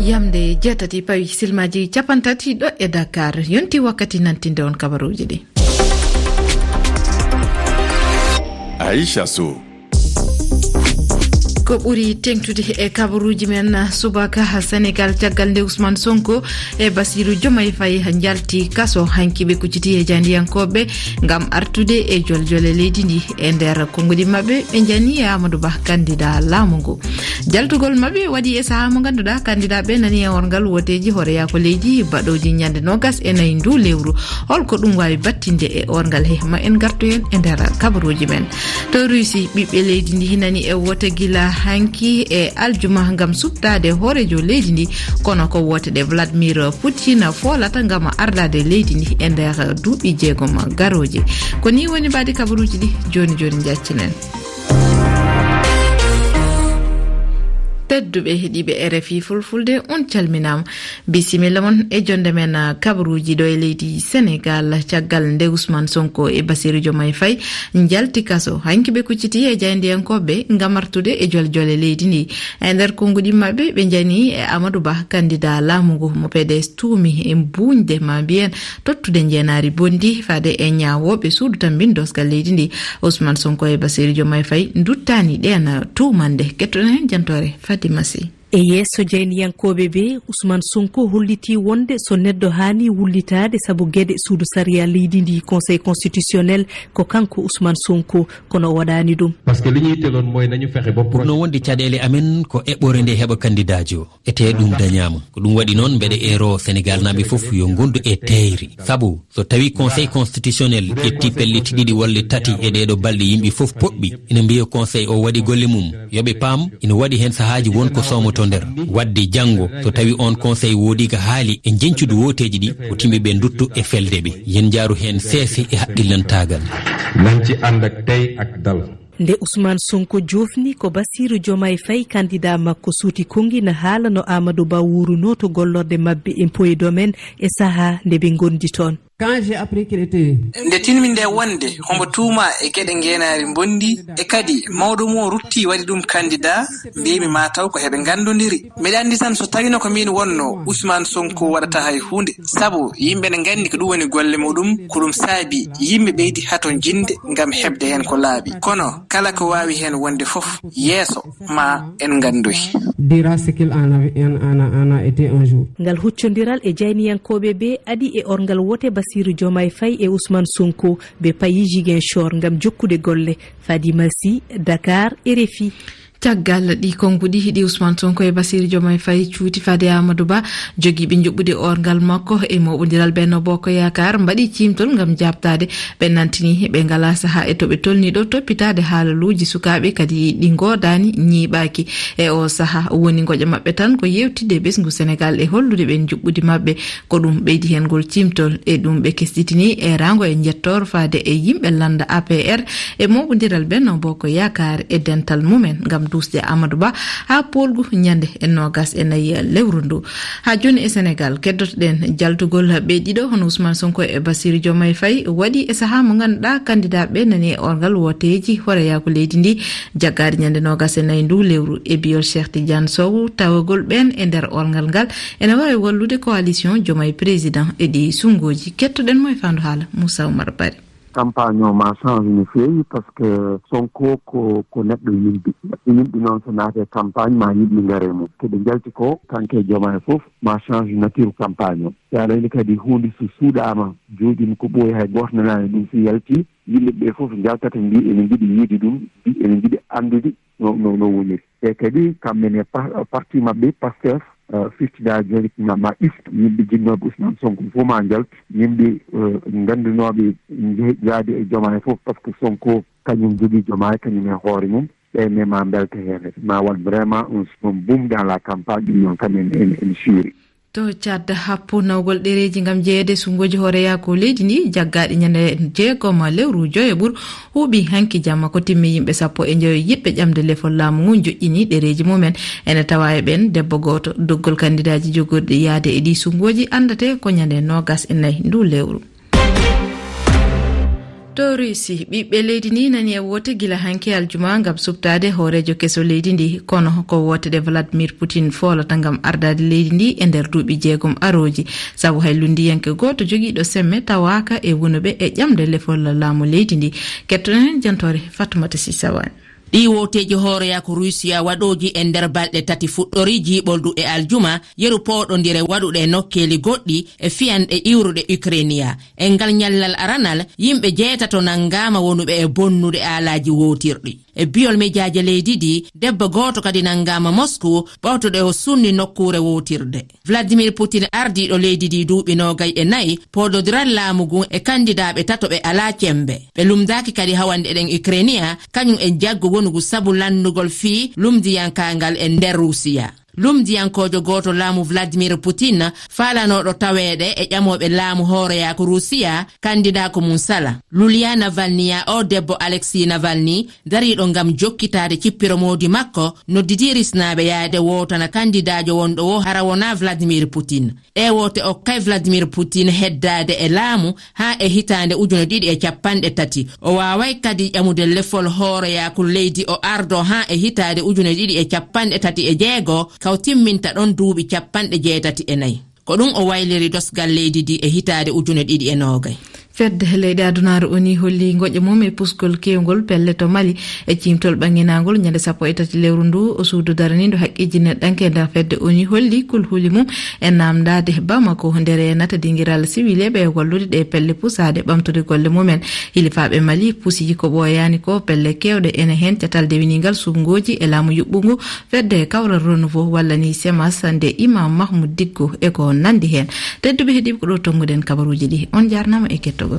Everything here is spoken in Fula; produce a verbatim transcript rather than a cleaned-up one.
Yamde jeetati pawi silmaaji capanɗe tati ɗo e Dakar. Yonti wakkati nantinde on kabaruuji ɗi. Aisha Sow. Ko ɓuri teŋtude e kabaruuji men subaka, Senegal, caggal nde Ousmane Sonko e Bassirou Diomaye Faye njalti kaso, hanki ɓe kucciti e jayndiyankooɓe ngam artude e joljole leydi ndi. E nder konngudi maɓɓe, ɓe njani e Amadou Ba, candidat laamu ngu. Jaltugol maɓɓe waɗi e sahaa mo ngannduɗaa candidat ɓe nani e orngal wooteeji hooreyaako leydi baɗooji ñande noogas e nayi ndu lewru. Holko ɗum waawi battinde e orngal he? Ma en ngartu heen e nder kabaruuji men. To Russie, ɓiɓɓe leydi ndi hinani e woote gila hanki e aljuma ngam suɓtaade hooreejo leydi ndi, kono ko woote ɗe Vladimir Putin foolata ngam ardaade leydi ndi e nder duuɓi jeegom garooji. Ko ni woni mbaadi kabaruuji ɗi jooni jooni njaccinen. Tedduɓe heɗiiɓe R F I Fulfulde, on calminaama. Bisimilla mon e jonde men, ah, kabaruuji ɗo e leydi Senegal, caggal nde Ousmane Sonko e Bassirou Diomaye Faye njalti kaso. Hanki ɓe kucciti e jayndiyankooɓe ngam artude e joljole leydi ndi. E nder konngudi maɓɓe, ɓe njani e Amadou Ba, candidat laamu ngu mo P D S tuumi e buuñde, ma mbiyen tottude njeenaari bonndi faade e ñaawooɓe suudu tammbin doosgal leydi ndi. Ousmane Sonko e Bassirou Diomaye Faye nduttaani ɗeen tuumannde. Kettoɗen heen jantoore Fadima Sy. E yeeso jayniyankooɓe ɓe, Ousmane Sonko hollitii wonde so neɗɗo haani wullitaade sabu geɗe suudu sariya leydi ndi, Conseil constitutionnel, ko kanko Ousmane Sonko, kono o waɗaani ɗum. Parce que li ñuy tegoon mooy nañu fexe ba pro- Ɓurno wonde caɗeele amen ko eɓɓore nde heɓa kandidaajo. Etee ɗum dañaama. Ko ɗum waɗi noon mbeɗa eero Senegaalnaaɓe fof yo ngondu e teeyre. Sabu so tawi Conseil constitutionnel ƴetti pellet ɗiɗi walla tati e ɗeeɗo balɗe, yimɓe fof poɓɓi, ina mbiya Conseil o waɗi golle mum. Yo ɓe paam, ina waɗi heen sahaaji won ko soomotoo nder. Waɗde janngo, so tawi oon Conseil woodii ko haali e njeñcude wooteeji ɗi, ko timɓe ɓe nduttu e felde ɓe. Yen njaaru heen seese e haqqillantaagal. Nañ ci ànd ak tey ak dal. Nde Ousmane Sonko joofni ko Bassirou Diomaye Faye, candidat makko, suuti konngi na haala no Amadou Ba wuurunoo to gollorɗe maɓɓe impôt et domaine e sahaa nde ɓe ngondi toon. Quand j'ai appris qu'il était... Nde tinmi nde wonde hombo tuuma e geɗe ngeenaari mbondi, e kadi mawɗo mum o rutti waɗi ɗum candidat, mbiymi ma taw ko heɓe nganndondiri. Mbeɗa anndi tan so tawino ko miin wonno, Ousmane Sonko waɗata hay huunde. Sabu yimɓe ne nganndi ko ɗum woni golle muɗum, ko ɗum saabi yimɓe ɓeydi hato jinde ngam heɓde heen ko laaɓi. Kono kala ko waawi heen wonde fof, yeeso ma en nganndoy. Dira ce qu'il en a, en, en a, en a été un jour. Ngal huccondiral e jayniyankooɓe ɓe adi e orngal wote Bassirou Diomaye Faye e Ousmane Sonko, ɓe payi Ziguinchor ngam jokkude golle. Fadima Sy, Dakar, R F I. Caggal ɗi konnguɗi, hiɗi Ousmane Sonko e Bassirou Diomaye Faye cuuti faade Amadou Ba, jogiiɓe njuɓɓudi orngal makko e mooɓondiral Benno Bokk Yaakaar mbaɗi ciimtol ngam jaabtaade. Ɓe nantini ɓe ngalaa sahaa e to ɓe tolni ɗo toppitaade haalaluuji sukaaɓe, kadi ɗi ngoodaani, ñiiɓaaki. E o sahaa woni ngoƴa maɓɓe tan ko yeewtidde e ɓesngu Senegal e hollude ɓe njuɓɓudi maɓɓe. Ko ɗum ɓeydi heen ngol ciimtol, e ɗum ɓe kesɗitini e raango e njettoor faade e yimɓe lannda A P R e mooɓondiral Benno Bokk Yaakaar e dental mumen ngam duusde Amadou Ba haa poolgu ñande e noogas e nayi lewru ndu. Haa jooni e Senegal, keddoto-ɗen jaltugol ɓe ɗiɗo, hono Ousmane Sonko e Bassirou Diomaye Faye, waɗi e sahaa mo ngannduɗaa candidat ɓe nani e orngal wooteeji hooreyaaku leydi ndi, jaggaaɗe ñande noogas e nayi ndu lewru. E biyol Cheikh Tidiane Sow, tawagol ɓeen e nder orngal ngal ene waawi wallude coalition Diomaye Président e ɗi sunnguuji. Kettoɗen mo e faandu haala, Moussa Oumar Bari. Campagne o ma change no feewi, parce que Sonko ko, ko neɗɗo yimɓe. Yimɓe noon so naate campagne ma yimɓe ngare mum. Ko ɓe njalti ko, kanko e Diomaye fof, ma change nature campagne o. Si aɗa anndi kadi huunde so suuɗaama, jooɗiima ko ɓooyi, hay gooto nanaani ɗum, so yalti, yimɓe ɓe fof njaltata, mbi ene njiɗi yiide ɗum, mbi ene njiɗi anndude no, no, no woniri. E kadi kamɓe ne pa-, parti maɓɓe Pastef, eh, firti da joni ma, ma ɗifto. Yimɓe jinnooɓe Ousmane Sonko fof ma njalt. Yimɓe, eh, nganndunoɓe nje-, jaade e Diomaye fof, parce que Sonko kañum jogii Diomaye, kañum e hoore mum. Ɓe ne ma mbelta heen. Ma waɗ vraiment un, un boom dans la campagne. Ɗum noon kam en, en, en suuri. To Tchad, happu nawgol ɗereeji ngam jeyeede sunnguuji hooreyaaku leydi ndi, jaggaaɗi ñande jeegom lewru joyo ɓur, huuɓi hanki jamma ko timmi yimɓe sappo e njoyo yiɗɓe ƴamde lefol laamu ngu joƴƴini ɗereeji mumen. Ene tawa e ɓeen debbo gooto. Doggol kandidaaji jogorɗi yahde e ɗii sunnguuji anndate ko ñande noogas e nayi ndu lewru. To Russie, ɓiɓɓe leydi ndi nani e woote gila hanki aljuma ngam suɓtaade hooreejo keso leydi ndi. Kono ko woote ɗe Vladimir Putin foolata ngam ardaade leydi ndi e nder duuɓi jeegom arooji. Sabu hay lunndiyanke gooto jogiiɗo semme tawaaka e wonuɓe e ƴamde lefol laamu leydi ndi. Kettoɗen heen jantoore Fatoumata Sisawani. Ɗii wooteeji hooreyaaku Ruusiya waɗooji e nder balɗe tati fuɗɗorii jiiɓoldu e aljuma, yeru pooɗondire waɗuɗe e nokkeeli goɗɗi e fiyanɗe iwruɗe Ukrainiya. E ngal ñallal aranal, yimɓe jeetato nanngaama wonuɓe e bonnude aalaaji wootirɗi. E biyol mejaaje leydi ndi, debbo gooto kadi nanngaama Moscou, ɓawtoɗo o sunni nokkuure wootirde. Vladimir Putin, ardiiɗo leydi ndi duuɓi noogay e nayi, pooɗondiral laamu ngun e kandidaaɓe tato ɓe alaa cemmbe. Ɓe lumndaaki kadi hawande eɗen Ukrainiya, kañum e jaggu wonugu sabu lanndugol fii lumndiyankangal e nder Ruusiya. Lumndiyankoojo gooto laamu Vladimir Putin faalanooɗo taweede e ƴamooɓe laamu hooreyaaku Ruusiya, kandidaa ko mum sala. Lulia Navalny, ya o debbo Alexei Navalny, dariiɗo ngam jokkitaade cippiro moodi makko, noddidii risnaaɓe yaade wootana kandidaajo wonɗo wo hara wonaa Vladimir Putin. Ɗee woote okkay Vladimir Putin heddaade e laamu haa e hitaande ujune ɗiɗi e capanɗe tati. O waaway kadi ƴamude lefol hooreyaaku leydi o ardo haa e hitaande ujune ɗiɗi e capanɗe tati e jeego, kaw timminta ɗon duuɓi capanɗe jeetati e nayi. Ko ɗum o wayliri dosgal leydi ndi e hitaande ujune ɗiɗi e noogay. Fedde leyɗe adunaaru O N U holli ngoƴa mum e pusgol keewngol pelle to Mali. E ciimtol ɓannginaangol ñande sappo e tati lewru ndu, o suudu daraniindo haqqeeji neɗɗanke e nder fedde O N U holli kulhuli mum e naamndaade Bamako nde reenata dingiral siwileeɓe e wallude ɗe pelle pusaade ɓamtude golle mumen. Hilifaaɓe Mali pusi ko ɓooyaani ko pelle keewɗe, ene heen catal dewiniingal suɓngooji e laamu yuɓɓungu fedde kawral Renouveau walla ni semas nde Imam Mahmoud Dicko e ko nanndi heen. Tedduɓe heɗiiɓe, ko ɗo tonnguɗen kabaruuji ɗi. On njaarnaama e kettogol.